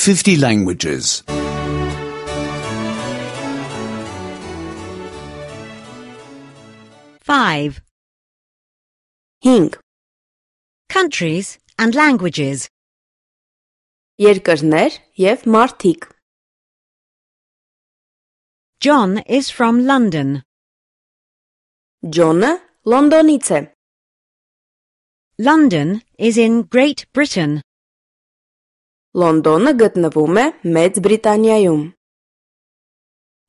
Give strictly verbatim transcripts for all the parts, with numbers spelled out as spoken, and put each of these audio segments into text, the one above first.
fifty languages. five. հինգ. Countries and languages. Երկրներ և մարդիկ. John is from London. Ջոնը Լոնդոնից է. London is in Great Britain. Լոնդոնը գտնվում է Մեծ Բրիտանիայում.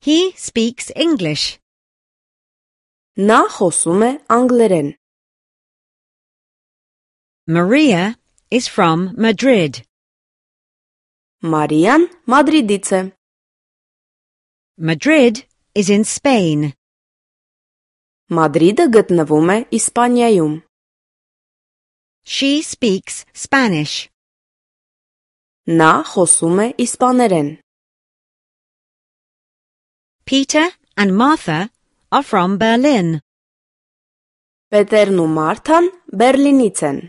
He speaks English. Նա խոսում է անգլերեն. Maria is from Madrid. Մարիան Մադրիդից է. Madrid is in Spain. Մադրիդը գտնվում է Իսպանիայում. She speaks Spanish. Նա խոսում է իսպաներեն. Peter and Martha are from Berlin. Պետերն ու Մարթան Բերլինից են.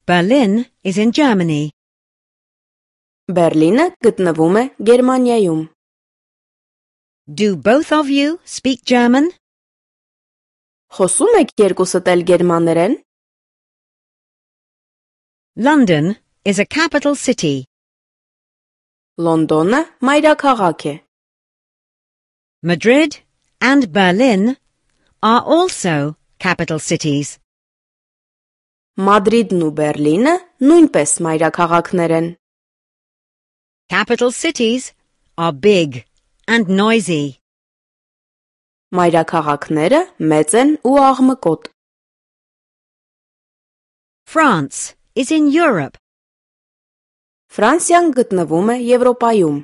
Berlin is in Germany. Բերլինը գտնվում է Գերմանիայում. Do both of you speak German? Խոսում եք երկուսդ էլ գերմաներեն? London is a capital city. Լոնդոնը մայրաքաղաք է. Madrid and Berlin are also capital cities. Մադրիդն ու Բերլինը նույնպես մայրաքաղաքներ են. Capital cities are big and noisy. Մայրաքաղաքները մեծ են ու աղմկոտ. France is in Europe. Ֆրանսիան գտնվում է Եվրոպայում.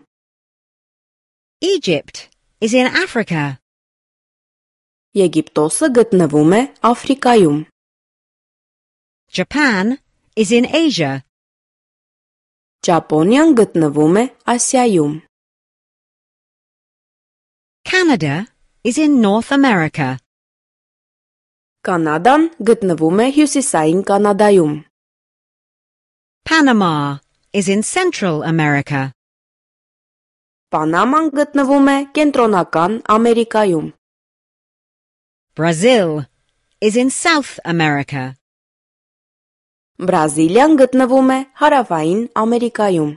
Egypt is in Africa. Եգիպտոսը գտնվում է Աֆրիկայում. Japan is in Asia. Ճապոնիան գտնվում է Ասիայում. Canada is in North America. Կանադան գտնվում է Հյուսիսային Կանադայում. Panama is in Central America. Պանաման գտնվում է Կենտրոնական Ամերիկայում. Brazil is in South America. Բրազիլիան գտնվում է Հարավային Ամերիկայում.